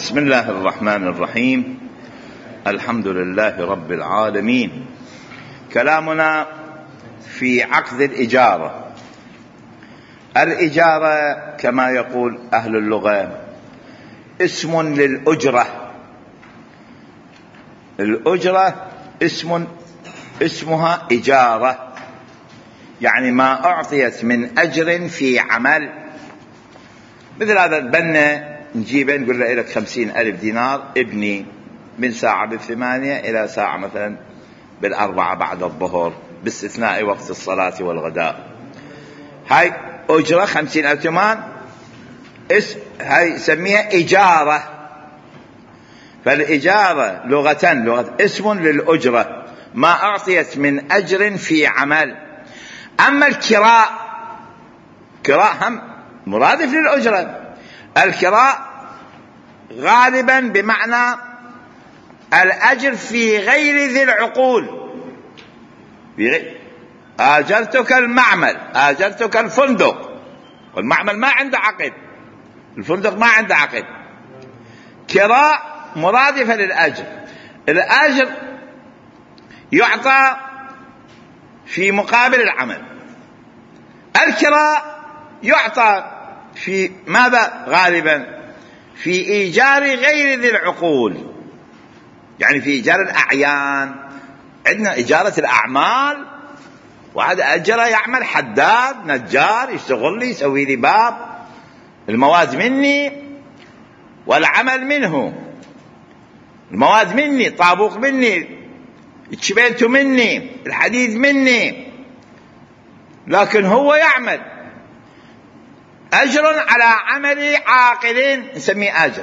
بسم الله الرحمن الرحيم. الحمد لله رب العالمين. كلامنا في عقد الإجارة. الإجارة كما يقول أهل اللغة اسم للأجرة. الأجرة اسمها إجارة، يعني ما أعطيت من أجر في عمل. مثل هذا البنا نجيبه نقول له لك 50,000 دينار ابني من ساعة 8 إلى ساعة مثلا 4 بعد الظهر باستثناء وقت الصلاة والغداء. هاي أجرة 50,000 دينار، هاي سميها إجارة. فالإجارة لغة اسم للأجرة، ما أعطيت من أجر في عمل. أما الكراء، كراء هم مرادف للأجرة. الكراء غالبا بمعنى الأجر في غير ذي العقول. آجرتك المعمل، آجرتك الفندق، والمعمل ما عنده عقد، الفندق ما عنده عقد. كراء مرادفة للأجر. الأجر يعطى في مقابل العمل. الكراء يعطى في ماذا؟ غالبا في إيجار غير ذي العقول، يعني في إيجار الأعيان. عندنا إجارة الأعمال، واحد أجره يعمل حداد نجار، يشتغل لي يسوي لي باب، المواد مني والعمل منه. المواد مني، طابوق مني، الشبينتو مني، الحديد مني، لكن هو يعمل. أجر على عمل عاقل نسميه أجر.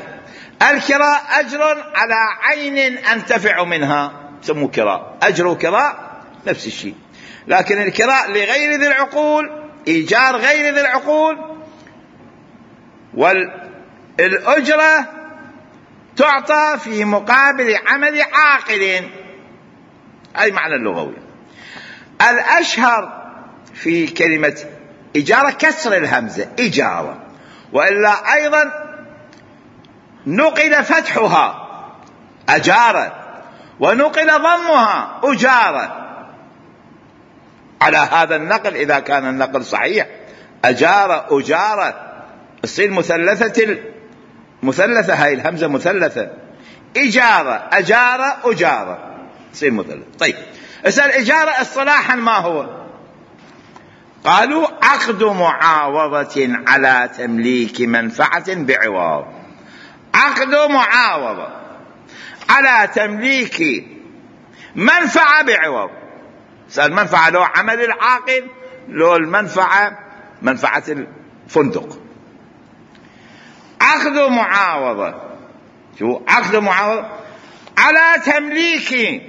الكراء أجر على عين أنتفع منها سموه كراء. أجر وكراء نفس الشيء، لكن الكراء لغير ذي العقول، إيجار غير ذي العقول. والأجرة تعطى في مقابل عمل عاقل، أي معنى اللغوي. الأشهر في كلمة إجارة كسر الهمزة إجارة، وإلا أيضا نقل فتحها أجارة، ونقل ضمها أجارة. على هذا النقل إذا كان النقل صحيح أجارة أجارة تصير مثلثة، هاي الهمزة مثلثة. إجارة أجارة أجارة تصير مثلثة. طيب اسأل إجارة اصطلاحا ما هو؟ قالوا عقد معاوضة على تمليك منفعة بعوض. عقد معاوضة على تمليك منفعة بعوض. المنفعة لو عمل العاقل، لو المنفعة منفعة الفندق. عقد معاوضة، شو عقد معاوضة؟ على تمليك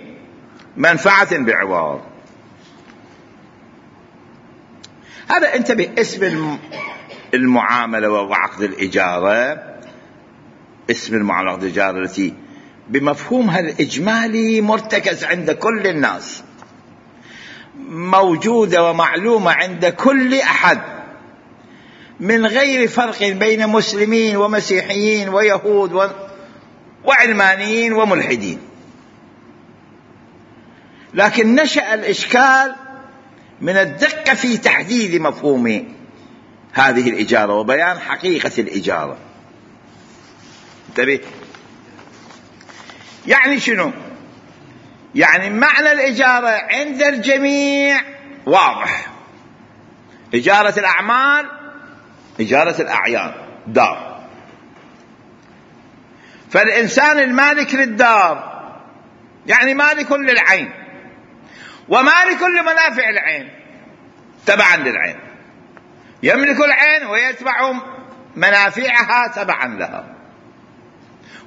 منفعة بعوض. هذا انتبه، اسم المعاملة وعقد الإجارة، اسم المعاملة وعقد الإجارة التي بمفهومها الإجمالي مرتكز عند كل الناس، موجودة ومعلومة عند كل أحد، من غير فرق بين مسلمين ومسيحيين ويهود وعلمانيين وملحدين. لكن نشأ الإشكال من الدقة في تحديد مفهوم هذه الإجارة وبيان حقيقة الإجارة. انتبه، يعني شنو؟ يعني معنى الإجارة عند الجميع واضح. إجارة الأعمال، إجارة الأعيان، دار. فالإنسان المالك للدار يعني مالك للعين، ومالك لمنافع العين تبعا للعين. يملك العين ويتبع منافعها تبعا لها.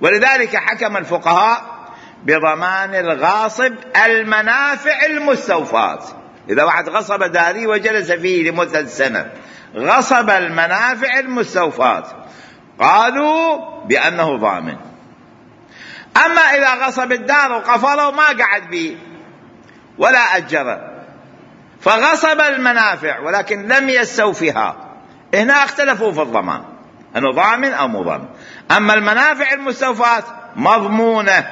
ولذلك حكم الفقهاء بضمان الغاصب المنافع المستوفاة. إذا واحد غصب داري وجلس فيه لمدة سنة، غصب المنافع المستوفاة، قالوا بأنه ضامن. أما إذا غصب الدار وقفله ما قعد به ولا أجره، فغصب المنافع ولكن لم يستوفها، هنا اختلفوا في الضمان. أنه ضامن أو مو ضامن. أما المنافع المستوفاة مضمونة،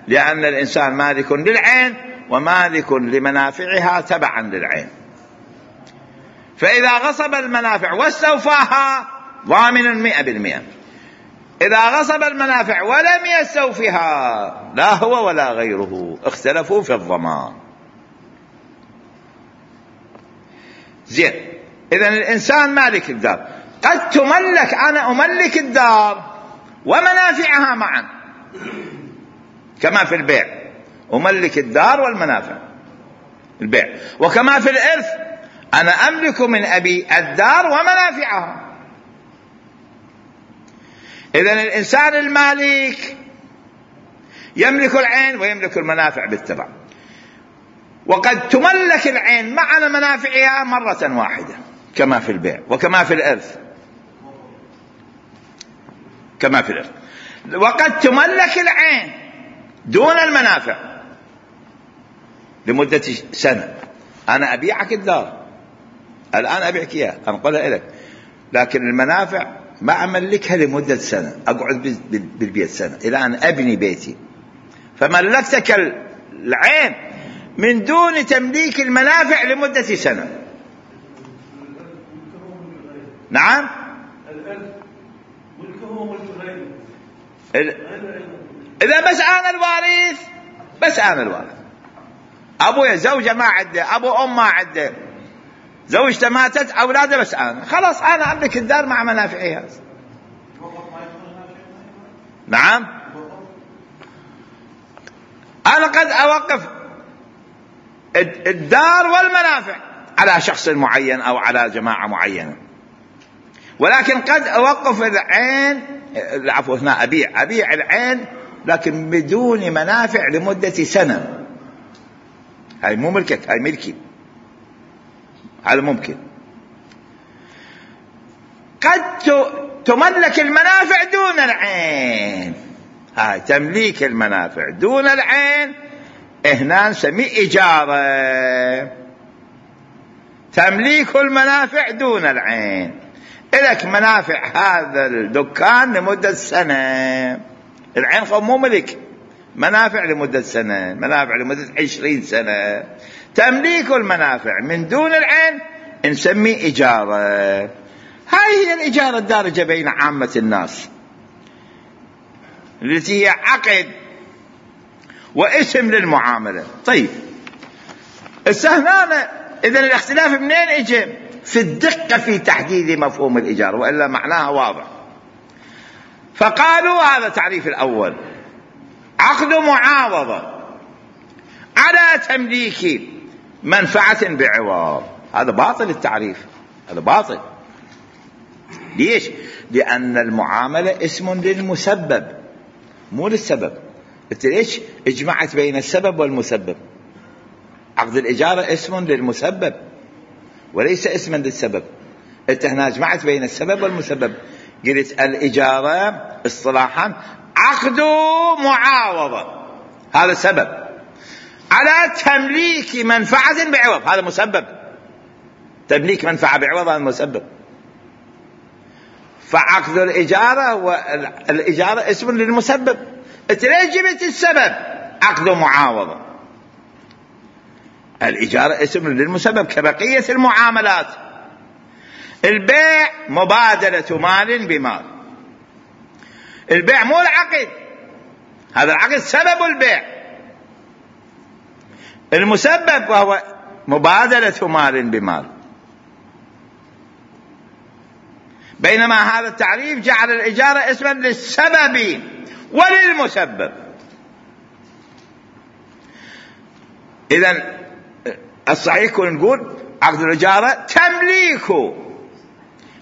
لأن الإنسان مالك للعين ومالك لمنافعها تبعا للعين، فإذا غصب المنافع واستوفاها ضامن 100%. إذا غصب المنافع ولم يستوفها لا هو ولا غيره اختلفوا في الضمان. زين، إذن الإنسان مالك الدار، قد تملك، أنا أملك الدار ومنافعها معا كما في البيع، أملك الدار والمنافع البيع، وكما في الإرث أنا أملك من أبي الدار ومنافعها. إذن الإنسان المالك يملك العين ويملك المنافع بالتبع، وقد تملك العين مع منافعها مرة واحدة كما في البيع وكما في الإرث، كما في الإرث. وقد تملك العين دون المنافع لمدة سنة. أنا أبيعك الدار الآن، أبيعك إياه، أنقلها إليك، لكن المنافع ما أملكها لمدة سنة، أقعد بالبيت سنة إلى أن أبني بيتي. فملكتك العين من دون تمليك المنافع لمدة سنة. نعم، إذا بس أنا الوارث، بس أنا الوارث، أبويا زوجة ما عده، أبو أم ما عده، زوجته ماتت، أولاده بس أنا، خلاص أنا أملك الدار مع منافعها. نعم، أنا قد أوقف الدار والمنافع على شخص معين أو على جماعة معينة، ولكن قد أوقف العين، العفو هنا أبيع العين لكن بدون منافع لمدة سنة. هاي مو ملكك، هاي ملكي، هذا ممكن. قد تملك المنافع دون العين، هاي تمليك المنافع دون العين هنا نسميه إجارة. تمليك المنافع دون العين، إلك منافع هذا الدكان لمدة سنة، العين مو ملك، منافع لمدة سنة، منافع لمدة 20 سنة. تمليك المنافع من دون العين نسميه إجارة. هاي هي الإجارة الدارجة بين عامة الناس، التي هي عقد واسم للمعاملة. طيب السهنانة، إذن الاختلاف منين اجى؟ في الدقة في تحديد مفهوم الإجارة، وإلا معناها واضح. فقالوا هذا تعريف الأول: عقد معاوضة على تمليك منفعة بعوض. هذا باطل التعريف، هذا باطل. ليش؟ لأن المعاملة اسم للمسبب مو للسبب. قلت ليش اجمعت بين السبب والمسبب؟ عقد الإجارة اسم للمسبب وليس اسما للسبب. انت هنا اجمعت بين السبب والمسبب. قلت الإجارة اصطلاحا عقد معاوضة، هذا سبب، على تمليك منفعة بعوض، هذا مسبب. تمليك منفعة بعوض هذا مسبب. فعقد الإجارة والإجارة اسم للمسبب. انت ليش جبت السبب عقد معاوضة؟ الإجارة اسم للمسبب كبقية المعاملات. البيع مبادلة مال بمال، البيع مو العقد، هذا العقد سبب البيع، المسبب وهو مبادلة مال بمال. بينما هذا التعريف جعل الإجارة اسما للسبب وللمسبب. إذن الصحيح كنا نقول عقد الإجارة تمليك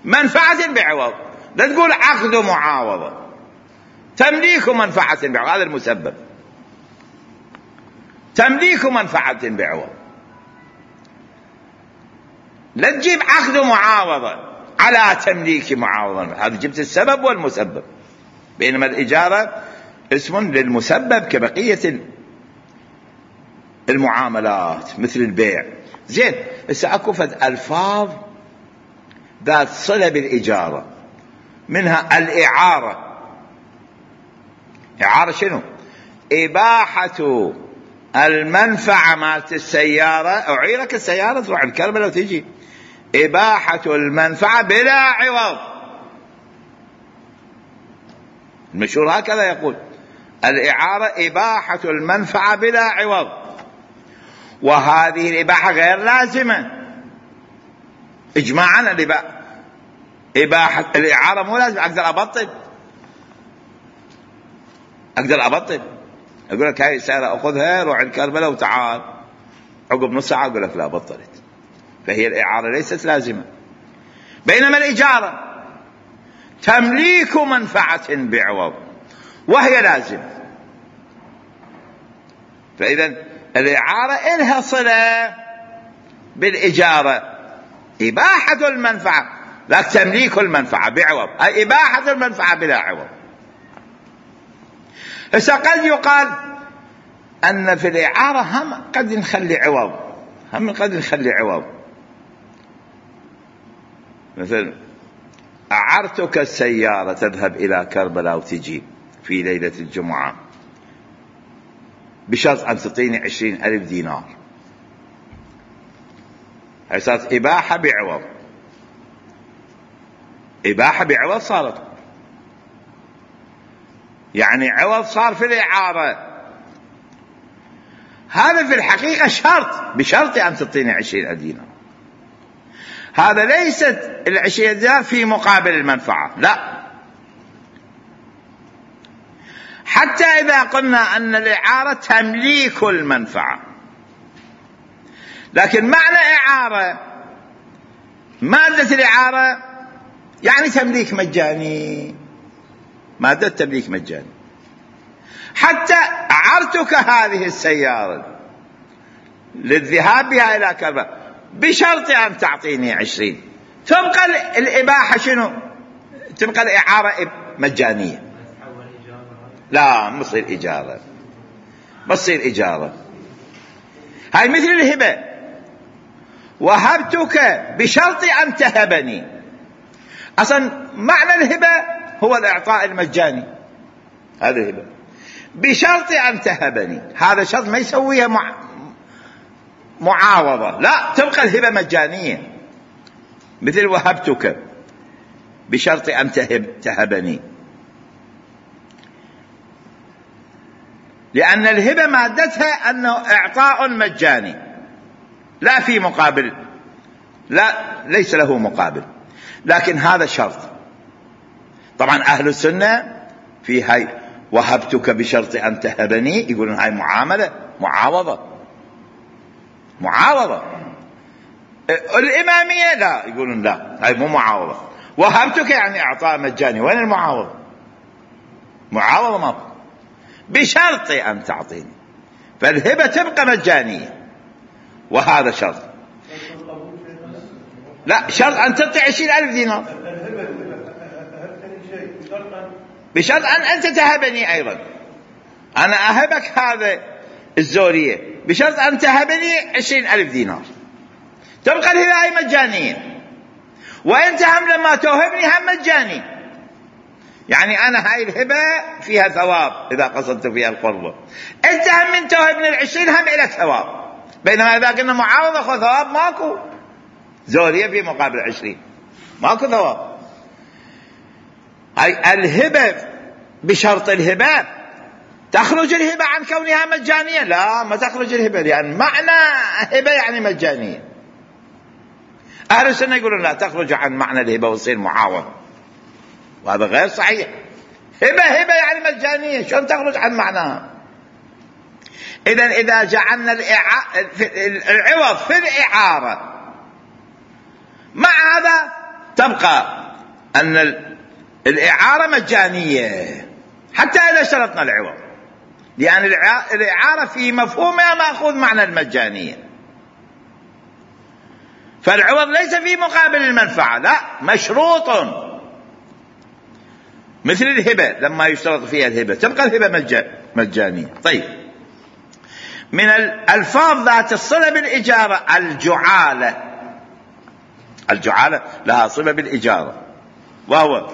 منفعة بعوض، لا تقول عقد معاوضة. تمليك منفعة بعوض هذا المسبب، تمليك منفعة بعوض. لا تجيب عقد معاوضة على تمليك معاوضة، هذا جبت السبب والمسبب. بينما الإجارة اسم للمسبب كبقية المعاملات مثل البيع. زين، هسه اكو فد الفاظ ذات صلة بالإجارة منها الإعارة. إعارة شنو؟ إباحة المنفعة مالت السيارة، أعيرك السيارة تروح الكربلاء وتجي، إباحة المنفعة بلا عوض. المشهور هكذا يقول، الإعارة إباحة المنفعة بلا عوض، وهذه الإباحة غير لازمة إجماعا. إباحة الإعارة مو لازم. أقدر أبطل أقول لك هاي السيارة أخذها روح الكربلاء وتعال، عقب نص ساعة أقول لك لا بطلت. فهي الإعارة ليست لازمة. بينما الإجارة تمليك منفعة بعوض وهي لازمة. فإذا الإعارة إلها صلة بالإجارة، إباحة المنفعة لا تمليك المنفعة بعوض، أي إباحة المنفعة بلا عوض. هسه قد يقال أن في الإعارة هم قد نخلي عوض، مثل أعرتك السيارة تذهب إلى كربلاء وتجي في ليلة الجمعة بشرط أن تعطيني 20,000 دينار. هي صارت إباحة بعوض صارت، يعني عوض صار في الإعارة. هذا في الحقيقة شرط، بشرط أن تعطيني 20,000 دينار. هذا ليست 20 دينار في مقابل المنفعة، لا. حتى إذا قلنا أن الإعارة تمليك المنفعة، لكن معنى إعارة، مادة الإعارة يعني تمليك مجاني، مادة تمليك مجاني. حتى أعرتك هذه السيارة للذهاب بها إلى كربلاء بشرط أن تعطيني 20، تبقى الإباحة شنو؟ تبقى الإعارة مجانية. لا، بصير إجارة. هاي مثل الهبة، وهبتك بشرط أن تهبني. أصلا معنى الهبة هو الإعطاء المجاني، هذا الهبة بشرط أن تهبني. هذا شرط ما يسويها معاوضة، لا، تبقى الهبة مجانية. مثل وهبتك بشرط أن تهبني، لأن الهبة مادتها أنه إعطاء مجاني لا في مقابل، لا، ليس له مقابل. لكن هذا شرط. طبعا أهل السنة في هاي وهبتك بشرط أن تهبني يقولون هاي معاوضة. الإمامية لا، يقولون لا، هاي مو معاوضة. وهبتك يعني إعطاء مجاني، وين المعاوضة؟ معاوضة ما بشرط أن تعطيني. فالهبة تبقى مجانية، وهذا شرط. لا، شرط أن تعطي 20,000 دينار بشرط أن أنت تهبني أيضا. أنا أهبك هذا الزورية بشرط أن تهبني 20,000 دينار، تبقى الهبة هاي مجانية. وأنت هم لما توهبني هم مجاني، يعني أنا هاي الهبة فيها ثواب إذا قصدت فيها القربة، أنت هم من توهبني 20 هم إلك ثواب. بينما إذا قلنا معاوضة أخذ ثواب ماكو، زورية في مقابل 20 ماكو ثواب. هاي الهبة بشرط الهبة تخرج الهبة عن كونها مجانية؟ لا، ما تخرج الهبة، لأن معنى هبة يعني مجانية. أهل السنة يقولون لا، تخرج عن معنى الهبة وتصير معاوضة، وهذا غير صحيح. هبة يعني مجانية، شلون تخرج عن معناها؟ إذا جعلنا العوض في الإعارة مع هذا تبقى أن الإعارة مجانية حتى إذا اشترطنا العوض، لأن الإعارة في مفهومها مأخوذ معنى المجانية. فالعوض ليس في مقابل المنفعة، لا، مشروط. مثل الهبة لما يشترط فيها الهبة تبقى الهبة مجانية. طيب، من الألفاظ ذات الصلة بالإجارة الجعالة لها صلة بالإجارة، وهو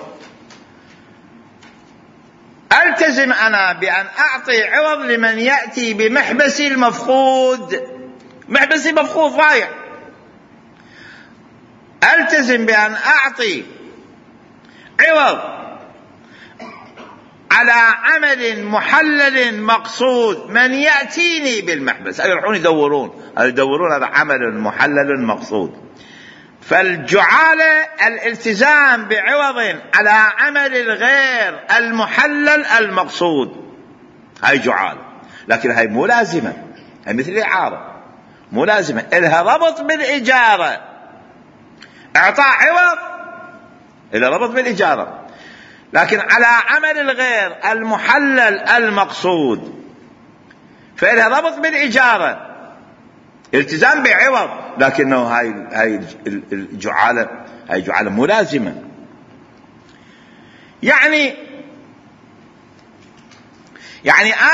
ألتزم أنا بأن أعطي عوض لمن يأتي بمحبسي المفقود. محبسي مفقود ضايع، ألتزم بأن أعطي عوض على عمل محلل مقصود من يأتيني بالمحبس. يروحون يدورون هذا عمل محلل مقصود. فالجعالة الالتزام بعوض على عمل الغير المحلل المقصود، هاي جعالة، لكن هاي مو لازمة، هاي مثل الإعارة مو لازمة، إلها ربط بالإجارة. إعطاء عوض إلها ربط بالإجارة، لكن على عمل الغير المحلل المقصود فإلها ربط بالإجارة، التزام بعوض، لكنه هاي الجعالة هاي جعالة مو لازمة. يعني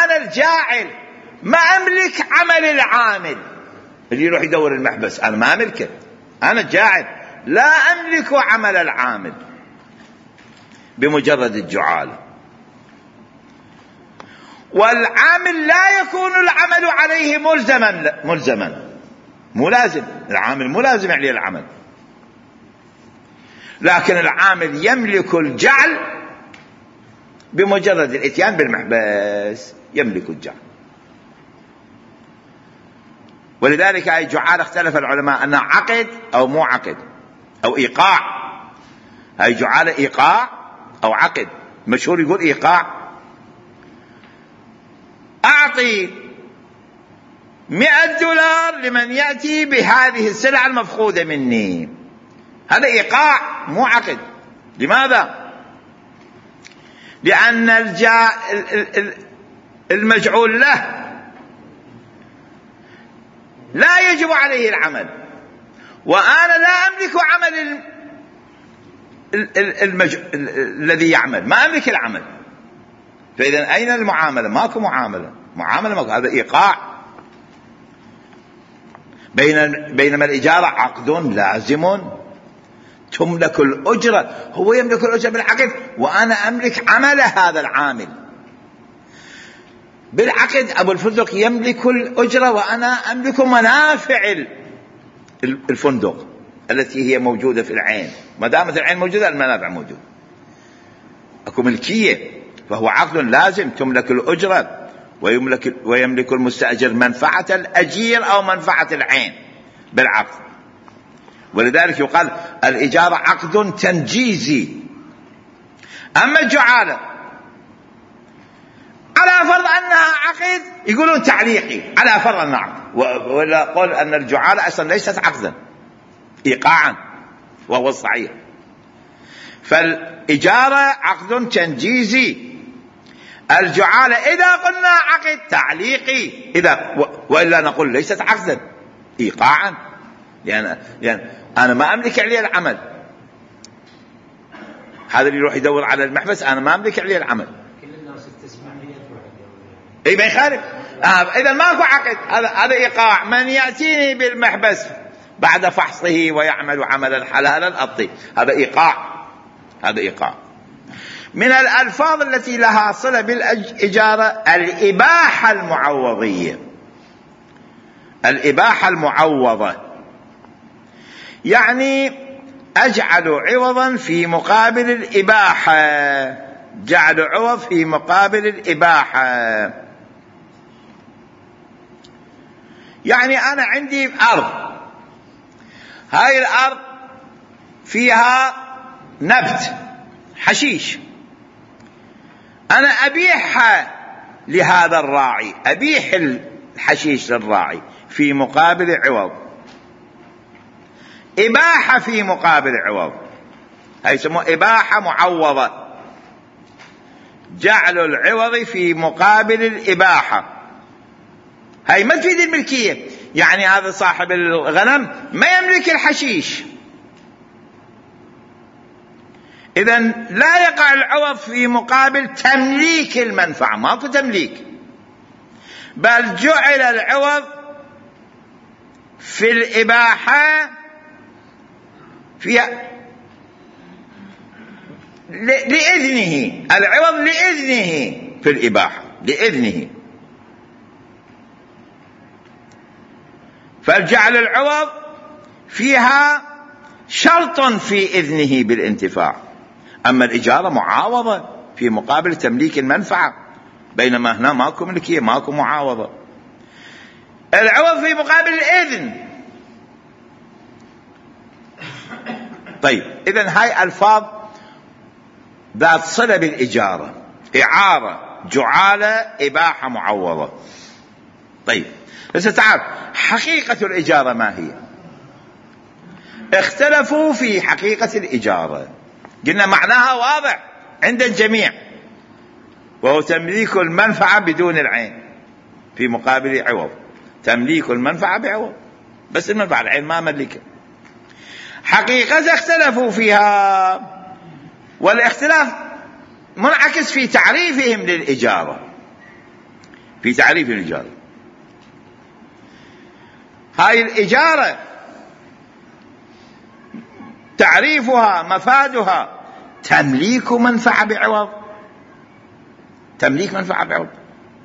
أنا الجاعل ما أملك عمل العامل اللي يروح يدور المحبس، أنا ما أملكه، أنا الجاعل لا أملك عمل العامل بمجرد الجعالة. والعامل لا يكون العمل عليه ملزما، مو لازم، العامل مو لازم عليه العمل، لكن العامل يملك الجعل بمجرد الاتيان بالمحبس، يملك الجعل. ولذلك هاي جعالة اختلف العلماء أنها عقد أو مو عقد أو إيقاع. هاي جعالة إيقاع أو عقد. مشهور يقول إيقاع، أعطي $100 لمن يأتي بهذه السلعة المفقودة مني، هذا إيقاع مو عقد. لماذا؟ لأن المجعول له لا يجب عليه العمل، وأنا لا أملك عمل الذي يعمل، ما أملك العمل، فإذا أين المعاملة؟ ماكو معاملة ماكو، هذا إيقاع. بينما الإجارة عقد لازم تملك الأجرة، هو يملك الأجرة بالعقد وأنا أملك عمل هذا العامل. بالعقد أبو الفندق يملك الأجرة وأنا أملك منافع الفندق التي هي موجودة في العين، ما دامت العين موجودة المنافع موجودة، أكو ملكية، فهو عقد لازم تملك الأجرة ويملك المستأجر منفعة الأجير أو منفعة العين بالعقد. ولذلك يقال الإجارة عقد تنجيزي. أما الجعالة على فرض أنها عقد يقولون تعليقي، على فرض أنها عقد، ولا قول أن الجعالة أصلا ليست عقدا، إيقاعا، وهو الصحيح. فالإجارة عقد تنجيزي، الجعالة إذا قلنا عقد تعليقي، وإلا نقول ليست عقدا، إيقاعا، لأن أنا ما أملك عليه العمل. هذا اللي يروح يدور على المحبس أنا ما أملك عليه العمل، كل الناس تسمع إيه ما يخالف. إذا ماكو عقد، هذا إيقاع. من يأتيني بالمحبس بعد فحصه ويعمل عملا حلالا الطيب، هذا إيقاع. من الألفاظ التي لها صلة بالإجارة الإباحة المعوضية. الإباحة المعوضة يعني أجعل عوضا في مقابل الإباحة، جعل عوض في مقابل الإباحة. يعني أنا عندي أرض، هاي الأرض فيها نبت حشيش، أنا أبيعها لهذا الراعي، أبيح الحشيش للراعي في مقابل عوض، إباحة في مقابل عوض، هاي يسموها إباحة معوضة، جعل العوض في مقابل الإباحة. هاي ما تفيد الملكية، يعني هذا صاحب الغنم ما يملك الحشيش، إذن لا يقع العوض في مقابل تمليك المنفعة، ماكو تمليك، بل جعل العوض في الإباحة فيها لإذنه، العوض لإذنه، في الإباحة لإذنه. فالجعل العوض فيها شرط في إذنه بالانتفاع، أما الإجارة معاوضة في مقابل تمليك المنفعة، بينما هنا ماكو ملكية، ماكو معاوضة. العوض في مقابل الإذن. طيب إذن هاي ألفاظ ذات صلة بالإجارة: إعارة، جعالة، إباحة، معوضة. طيب بس تعال، حقيقة الإجارة ما هي؟ اختلفوا في حقيقة الإجارة. قلنا معناها واضح عند الجميع، وهو تمليك المنفعة بدون العين في مقابل عوض. تمليك المنفعة بعوض، بس المنفعة العين ما ملكها. حقيقة اختلفوا فيها، والاختلاف منعكس في تعريفهم للإجارة. في تعريف الإجارة، هاي الإجارة تعريفها مفادها تمليك منفعة بعوض. تمليك منفعة بعوض،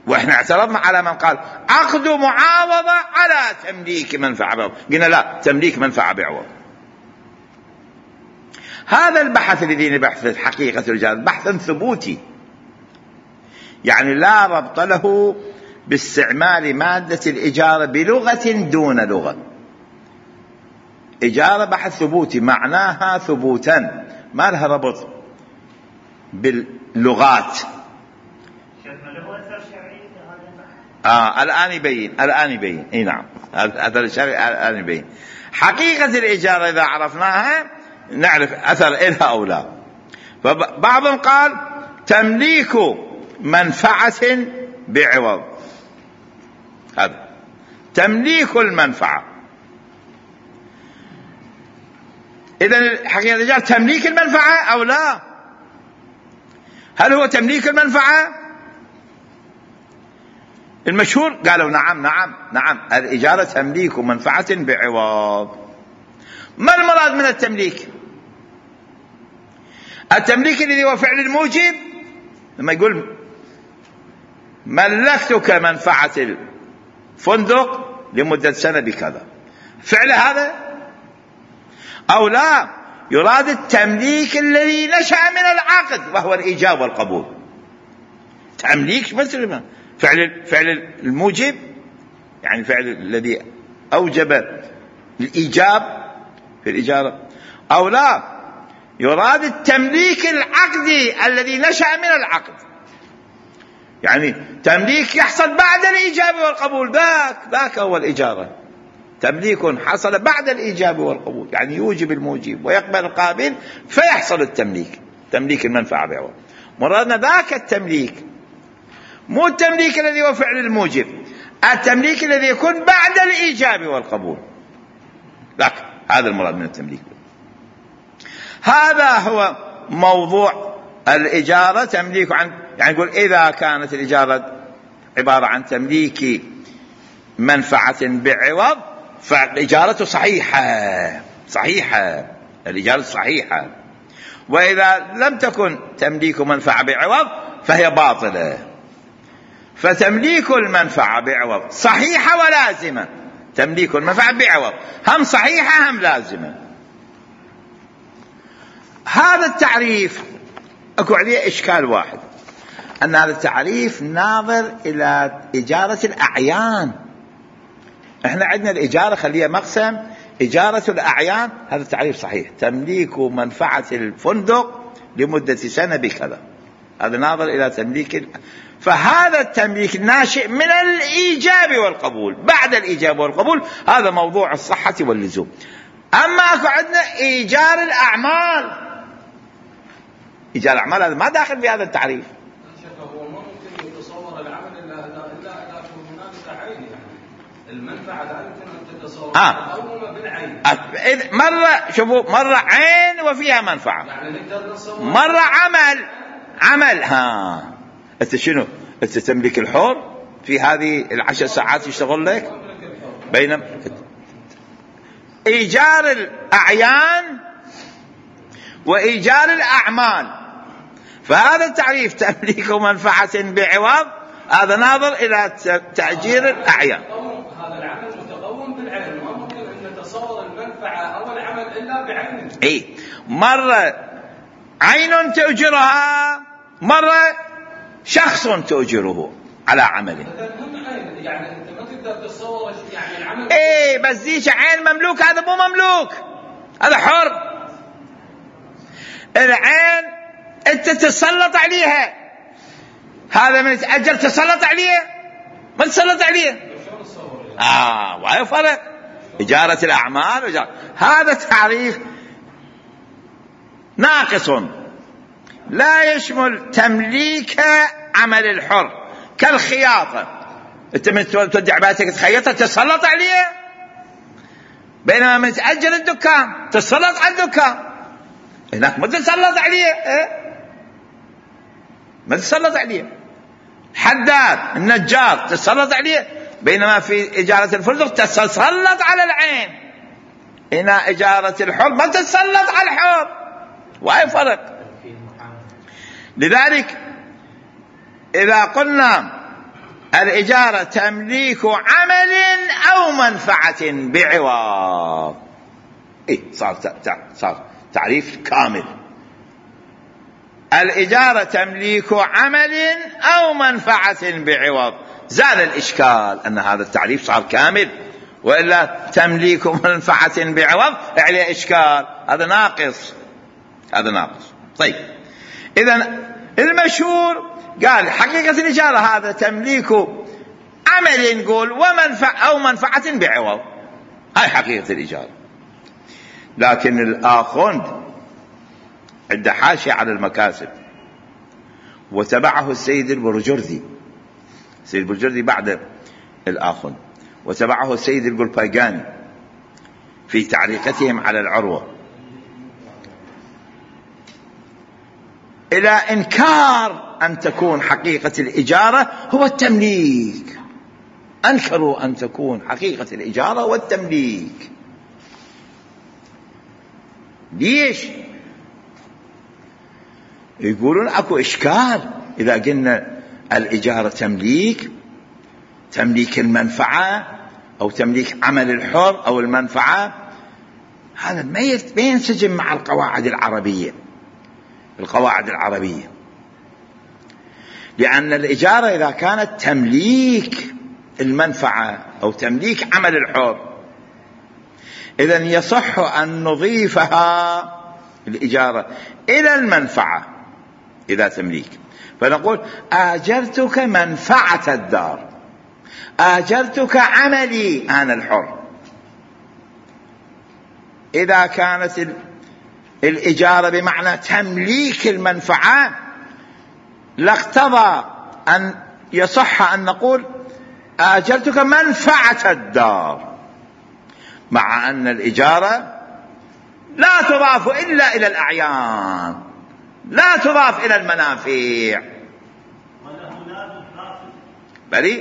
واحنا اعترضنا على من قال عقد معاوضة على تمليك منفعة بعوض، قلنا لا، تمليك منفعة بعوض. هذا البحث الذي نبحث حقيقة الإجارة بحث ثبوتي، يعني لا ربط له باستعمال مادة الإجارة بلغة دون لغة. إجارة بحث ثبوتي معناها ثبوتا، ما لها ربط باللغات. الآن يبين اي نعم، أثر الشرعي الآن يبين. حقيقة الإجارة إذا عرفناها نعرف أثر إلها أو لا. فبعضهم قال تمليك منفعة بعوض، هذا تمليك المنفعة. إذن حقيقة الإجارة تمليك المنفعة أو لا؟ هل هو تمليك المنفعة؟ المشهور قالوا نعم الإجارة تمليك منفعة بعوض. ما المراد من التمليك؟ التمليك الذي هو فعل الموجب، لما يقول ملكتك منفعة الفندق لمدة سنة بكذا، فعل هذا؟ أو لا، يراد التمليك الذي نشأ من العقد وهو الإيجاب والقبول. تمليك مثل فعل الموجب، يعني فعل الذي أوجب الإيجاب في الإجارة، أو لا، يراد التمليك العقدي الذي نشأ من العقد، يعني تمليك يحصل بعد الإيجاب والقبول، ذاك هو الإجارة. تمليك حصل بعد الإيجاب والقبول، يعني يوجب الموجب ويقبل القابل فيحصل التمليك، تمليك المنفعة بعوض. مرادنا ذاك التمليك، مو التمليك الذي هو فعل الموجب، التمليك الذي يكون بعد الإيجاب والقبول، ذاك هذا المراد من التمليك. هذا هو موضوع الإجارة. تمليك يعني يقول إذا كانت الإجارة عبارة عن تمليك منفعة بعوض فالإجارة صحيحة، الإجارة صحيحة. وإذا لم تكن تمليك منفعة بعوض فهي باطلة. فتمليك المنفعة بعوض صحيحة ولازمة، تمليك المنفعة بعوض هم صحيحة هم لازمة. هذا التعريف اكو عليه اشكال واحد، ان هذا التعريف ناظر الى إجارة الأعيان. احنا عندنا الإجارة خليها مقسم، إجارة الأعيان هذا التعريف صحيح، تمليك منفعة الفندق لمدة سنة بكذا، هذا ناظر الى تمليك. فهذا التمليك ناشئ من الإيجاب والقبول، بعد الإيجاب والقبول هذا موضوع الصحة واللزوم. أما أكو عندنا إيجار الأعمال، إيجار الأعمال هذا ما داخل في هذا التعريف. هو ما ممكن يتصور العمل إلا إذا كان هناك عين، يعني المنفعة لا يمكن أن تتصور مقومة بالعين. مرة شوفوا، مرة عين وفيها منفعة، يعني نقدر نتصور مرة عمل. أنت شنو؟ أنت تملك الحر في هذه 10 ساعات يشتغل لك، بينما إيجار الأعيان وإيجار الأعمال فهذا التعريف تمليك منفعة بعوض هذا ناظر إلى تأجير الأعيان. هذا العمل متقوم بالعين، ما ممكن أن نتصور المنفعة أو العمل إلا بعينه. إيه، مرة عين تؤجرها، مرة شخص تؤجره على عمله. يعني أنت ما تقدر تتصور يعني العمل. إيه بس ذيك عين مملوك، هذا مو مملوك، هذا حر. العين أنت تسلط عليها، هذا من يتأجر تسلط عليه ما تسلط عليه. وهي فرق إجارة الأعمال هذا تعريف ناقص لا يشمل تمليك عمل الحر كالخياطة. انت من تودع بيتك تخيطها تسلط عليه، بينما من تأجر الدكان تسلط على الدكان، هناك ما تسلط عليه. ما تسلط عليه. حداد النجار تسلط عليه، بينما في إجارة الفندق تسلط على العين. هنا إجارة الحر ما تسلط على الحر، وهي فرق. لذلك إذا قلنا الإجارة تمليك عمل أو منفعة بعوض، صار تعريف كامل. الإجارة تمليك عمل أو منفعة بعوض، زال الإشكال أن هذا التعريف صار كامل، وإلا تمليك منفعة بعوض عليه إشكال، هذا ناقص. طيب، إذن المشهور قال حقيقة الإجارة هذا تمليك عمل، نقول أو منفعة بعوض، هاي حقيقة الإجارة. لكن الآخوند عنده حاشية على المكاسب، وتبعه السيد البرجردي. السيد البرجردي بعد الآخوند، وتبعه السيد القلباقاني في تعليقتهم على العروة، إلى إنكار أن تكون حقيقة الإجارة هو التمليك. أنكروا أن تكون حقيقة الإجارة هو التمليك. ليش؟ يقولون أكو إشكال إذا قلنا الإجارة تمليك المنفعة أو تمليك عمل الحر أو المنفعة، هذا ما ينسجم مع القواعد العربية. لأن الإجارة إذا كانت تمليك المنفعة أو تمليك عمل الحر، إذن يصح أن نضيفها الإجارة إلى المنفعة إذا تمليك، فنقول آجرتك منفعة الدار، آجرتك عملي أنا الحر. إذا كانت الإجارة بمعنى تمليك المنفعة لاقتضى أن يصح أن نقول آجرتك منفعة الدار، مع أن الإجارة لا تضاف إلا إلى الأعيان، لا تضاف إلى المنافع. وله لازم فاسد. بلي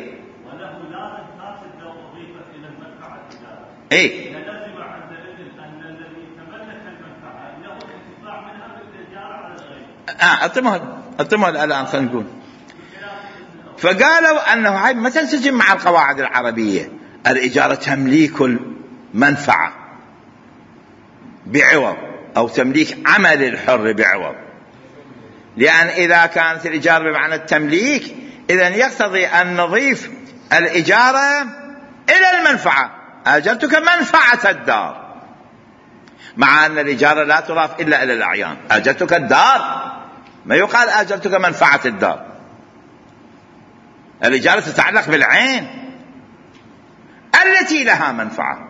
وله لازم فاسد لو أضيفت إلى المنفعة الإجارة. إيه؟ لازم عندئذ أن الذي تملك المنفعة له الانتفاع منها بالإجارة على الغير. أتمهل الآن خلينا نقول. فقالوا أنه هاي ما تنسجم مع القواعد العربية. الإجارة تمليك المنفعة بعوض أو تمليك عمل الحر بعوض، لأن إذا كانت الإجارة بمعنى التمليك إذن يقتضي أن نضيف الإجارة إلى المنفعة. آجرتك منفعة الدار، مع أن الإجارة لا تضاف إلا إلى الأعيان. آجرتك الدار، ما يقال آجرتك منفعة الدار. الإجارة تتعلق بالعين التي لها منفعة،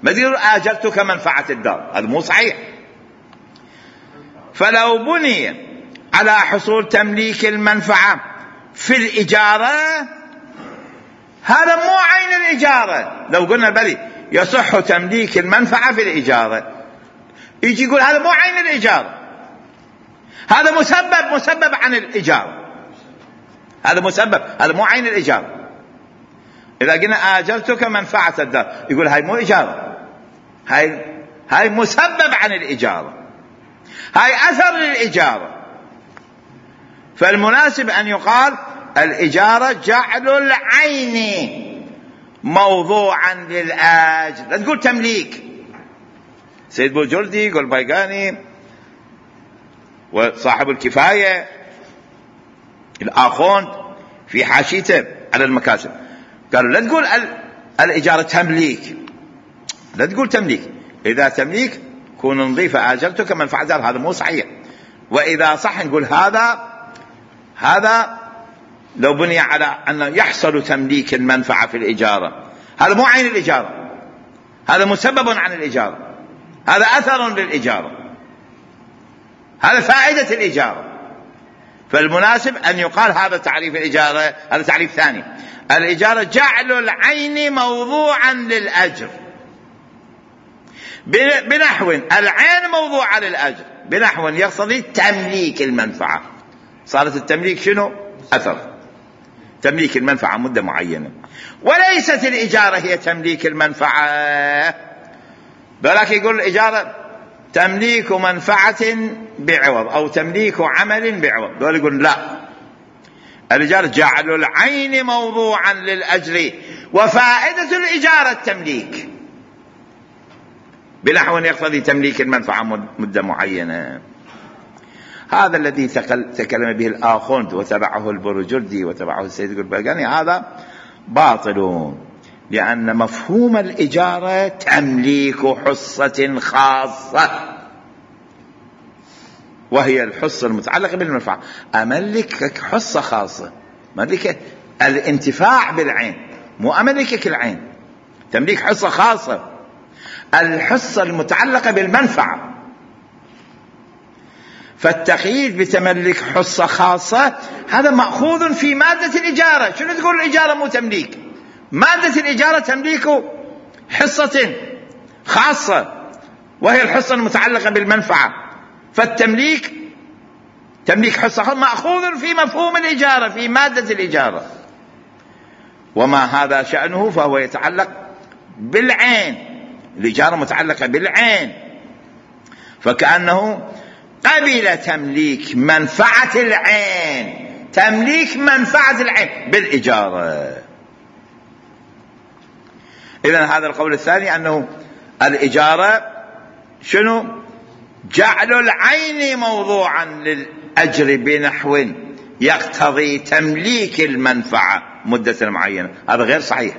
ما يقول آجرتك منفعة الدار، هذا مو صحيح. فلو بني على حصول تمليك المنفعة في الإجارة هذا مو عين الإجارة. لو قلنا بلي يصح تمليك المنفعة في الإجارة، يجي يقول هذا مو عين الإجارة، هذا مسبب عن الإجارة، هذا مسبب، هذا مو عين الإجارة. إذا قلنا آجرتك منفعة الدار يقول هاي مو إجارة، هاي مسبب عن الإجارة، هاي أثر للإجارة. فالمناسب أن يقال الإجارة جعل العين موضوعا للأجر، لا تقول تمليك. سيد بوجردي يقول بايقاني وصاحب الكفاية الآخوند في حاشيته على المكاسب قالوا لا تقول الإجارة تمليك، لا تقول تمليك. إذا تمليك كون نضيفة آجرتك منفعة دار، هذا مو صحيح. وإذا صح نقول هذا لو بني على أن يحصل تمليك المنفعة في الإجارة، هذا مو عين الإجارة، هذا مسبب عن الإجارة، هذا أثر للإجارة، هذا فائدة الإجارة. فالمناسب أن يقال هذا تعريف الإجارة. هذا تعريف ثاني، الإجارة جعل العين موضوعا للأجر بنحو العين موضوعا للأجر بنحو يقتضي تمليك المنفعة. صارت التمليك شنو؟ أثر، تمليك المنفعة مدة معينة، وليست الإجارة هي تمليك المنفعة. بلاك يقول الإجارة تمليك منفعة بعوض أو تمليك عمل بعوض، دول يقول لا، الإجارة جعل العين موضوعا للأجر وفائدة الإجارة التمليك بنحو يقتضي تمليك المنفعة مدة معينة. هذا الذي تكلم به الآخوند وتبعه البروجردي وتبعه السيد الباقاني هذا باطل، لأن مفهوم الإجارة تمليك حصة خاصة وهي الحصة المتعلقة بالمنفعة. أملكك حصة خاصة، أملكك الانتفاع بالعين، مو أملكك العين. تمليك حصة خاصة، الحصة المتعلقة بالمنفعة. فالتقييد بتملك حصة خاصة هذا مأخوذ في مادة الإجارة. شنو تقول الإجارة مو تمليك؟ مادة الإجارة تمليك حصة خاصة وهي الحصة المتعلقة بالمنفعة. فالتمليك تمليك حصة خاصة مأخوذ في مفهوم الإجارة في مادة الإجارة، وما هذا شأنه فهو يتعلق بالعين. الإجارة متعلقة بالعين، فكأنه قبل تمليك منفعة العين، تمليك منفعة العين بالإجارة. إذن هذا القول الثاني أنه الإجارة شنو؟ جعل العين موضوعا للأجر بنحو يقتضي تمليك المنفعة مدة معينة. هذا غير صحيح،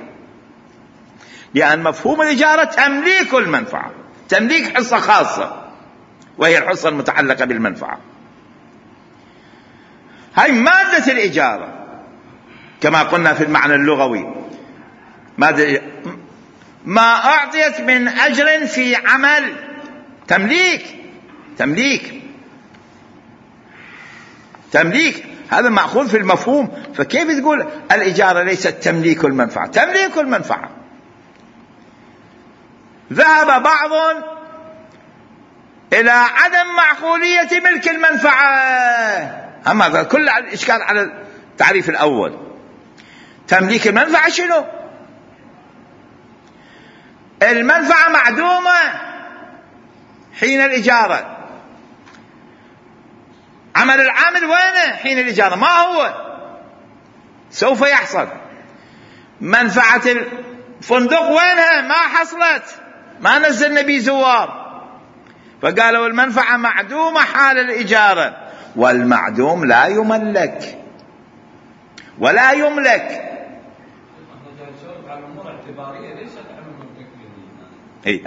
لأن مفهوم الإجارة تمليك المنفعة، تمليك حصة خاصة وهي الحصة المتعلقة بالمنفعة. هاي مادة الإجارة كما قلنا في المعنى اللغوي، ما أعطيت من أجر في عمل تمليك هذا مأخوذ في المفهوم. فكيف تقول الإجارة ليست تمليك المنفعة؟ تمليك المنفعة. ذهب بعض إلى عدم معقولية ملك المنفعة. أما هذا كل الإشكال على التعريف الأول. تمليك المنفعة شنو؟ المنفعة معدومة حين الإجارة، عمل العامل وينه حين الإجارة؟ ما هو سوف يحصل. منفعة الفندق وينها؟ ما حصلت، ما نزلنا بيه زوار. فقالوا المنفعة معدومة حال الإجارة، والمعدوم لا يملك ولا يملك.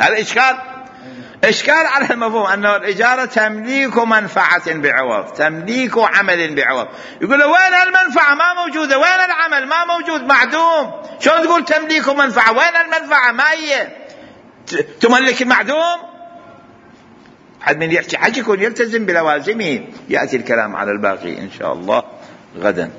هذا إشكال على المفهوم أنه الإجارة تمليك منفعة بعوض، تمليك عمل بعوض. يقول وين المنفعة؟ ما موجودة. وين العمل؟ ما موجود، معدوم. شلون تقول تمليك منفعة؟ وين المنفعة؟ ما هي تملك المعدوم. حد من يحكي حكي يكون يلتزم بلوازمه. يأتي الكلام على الباقي إن شاء الله غدا.